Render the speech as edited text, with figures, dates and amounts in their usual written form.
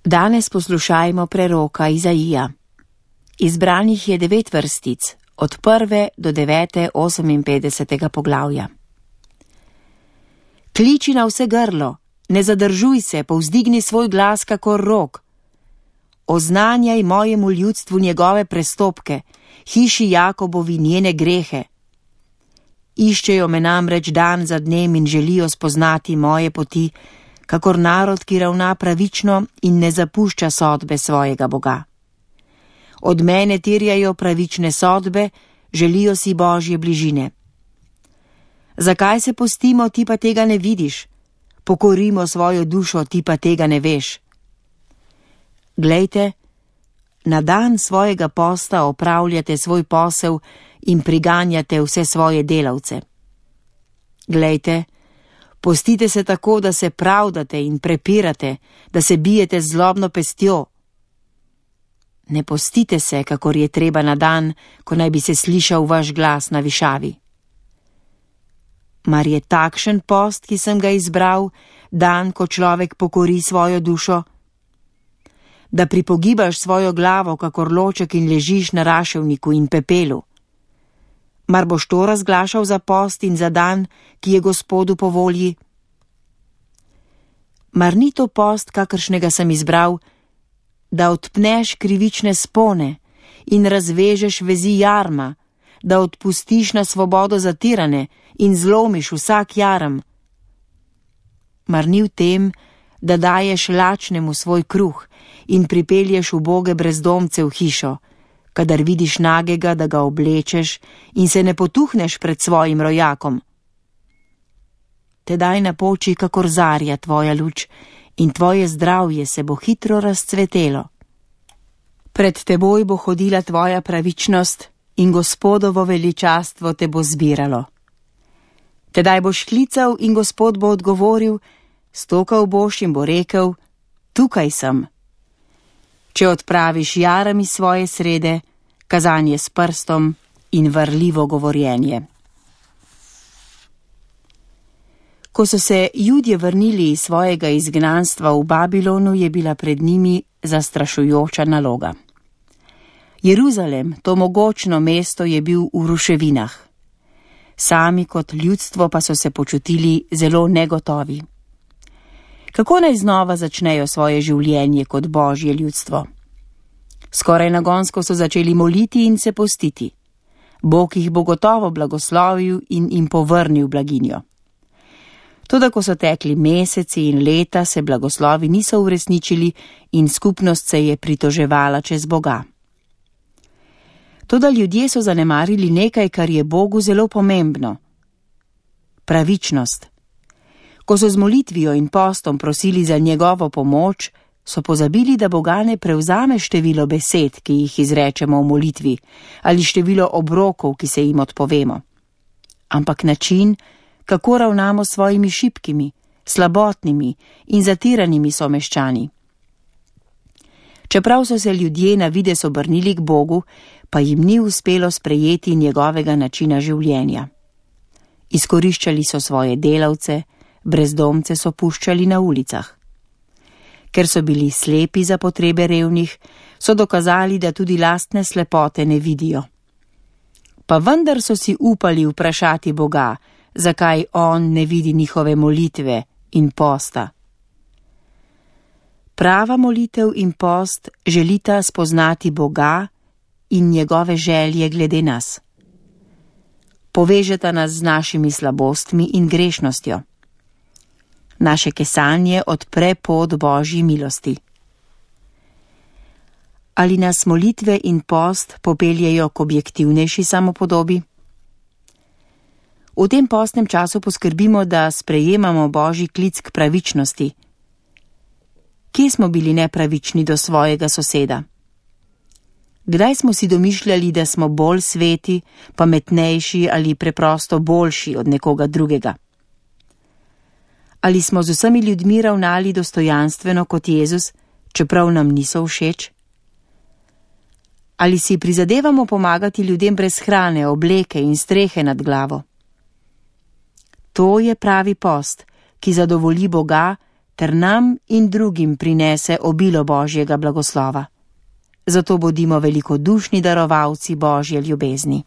Danes poslušajmo preroka Izaija. Izbranih je 9 vrstic, od 1. do 9. 58. poglavja. Kliči na vse grlo, ne zadržuj se, povzdigni svoj glas kakor rog. Oznanjaj mojemu ljudstvu njegove prestopke, hiši Jakobovi njene grehe. Iščejo me namreč dan za dnem in želijo spoznati moje poti, kakor narod, ki ravna pravično in ne zapušča sodbe svojega Boga. Od mene terjajo pravične sodbe, želijo si Božje bližine. Zakaj se postimo, ti pa tega ne vidiš? Pokorimo svojo dušo, ti pa tega ne veš. Glejte, na dan svojega posta opravljate svoj posel in priganjate vse svoje delavce. Glejte, postite se tako, da se pravdate in prepirate, da se bijete z zlobno pestjo. Ne postite se, kakor je treba na dan, ko naj bi se slišal vaš glas na višavi. Mar je takšen post, ki sem ga izbral, dan, ko človek pokori svojo dušo? Da pripogibaš svojo glavo, kakor loček in ležiš na raševniku in pepelu. Mar boš to razglašal za post in za dan, ki je Gospodu po volji? Mar ni to post, kakršnega sem izbral, da odpneš krivične spone in razvežeš vezi jarma, da odpustiš na svobodo zatirane in zlomiš vsak jarem? Mar ni v tem, da daješ lačnemu svoj kruh in pripelješ uboge brezdomce v hišo, kadar vidiš nagega, da ga oblečeš in se ne potuhneš pred svojim rojakom? Tedaj napoči kakor zarja tvoja luč in tvoje zdravje se bo hitro razcvetelo. Pred teboj bo hodila tvoja pravičnost in Gospodovo veličastvo te bo zbiralo. Tedaj boš klical in Gospod bo odgovoril, stokal boš in bo rekel, tukaj sem. Če odpraviš jarami svoje srede, kazanje s prstom in varljivo govorjenje. Ko so se Judje vrnili iz svojega izgnanstva v Babilonu, je bila pred njimi zastrašujoča naloga. Jeruzalem, to mogočno mesto, je bil v ruševinah. Sami kot ljudstvo pa so se počutili zelo negotovi. Kako naj znova začnejo svoje življenje kot Božje ljudstvo? Skoraj nagonsko so začeli moliti in se postiti. Bog jih bo gotovo blagoslovil in jim povrnil blaginjo. Toda ko so tekli meseci in leta, se blagoslovi niso uresničili in skupnost se je pritoževala čez Boga. Toda ljudje so zanemarili nekaj, kar je Bogu zelo pomembno. Pravičnost. Ko so z molitvijo in postom prosili za njegovo pomoč, so pozabili, da Boga ne prevzame število besed, ki jih izrečemo v molitvi, ali število obrokov, ki se jim odpovemo. Ampak način, kako ravnamo s svojimi šibkimi, slabotnimi in zatiranimi someščani. Čeprav so se ljudje na videz obrnili k Bogu, pa jim ni uspelo sprejeti njegovega načina življenja. Izkoriščali so svoje delavce, brezdomce so puščali na ulicah. Ker so bili slepi za potrebe revnih, so dokazali, da tudi lastne slepote ne vidijo. Pa vendar so si upali vprašati Boga, zakaj on ne vidi njihove molitve in posta. Prava molitev in post želita spoznati Boga in njegove želje glede nas. Povežeta nas z našimi slabostmi in grešnostjo. Naše kesanje odpre pot Božji milosti. Ali nas molitve in post popeljejo k objektivnejši samopodobi? V tem postnem času poskrbimo, da sprejemamo Božji klic k pravičnosti. Kje smo bili nepravični do svojega soseda? Kdaj smo si domišljali, da smo bolj sveti, pametnejši ali preprosto boljši od nekoga drugega? Ali smo z vsemi ljudmi ravnali dostojanstveno kot Jezus, čeprav nam niso všeč? Ali si prizadevamo pomagati ljudem brez hrane, obleke in strehe nad glavo? To je pravi post, ki zadovolji Boga ter nam in drugim prinese obilo Božjega blagoslova. Zato bodimo velikodušni darovalci Božje ljubezni.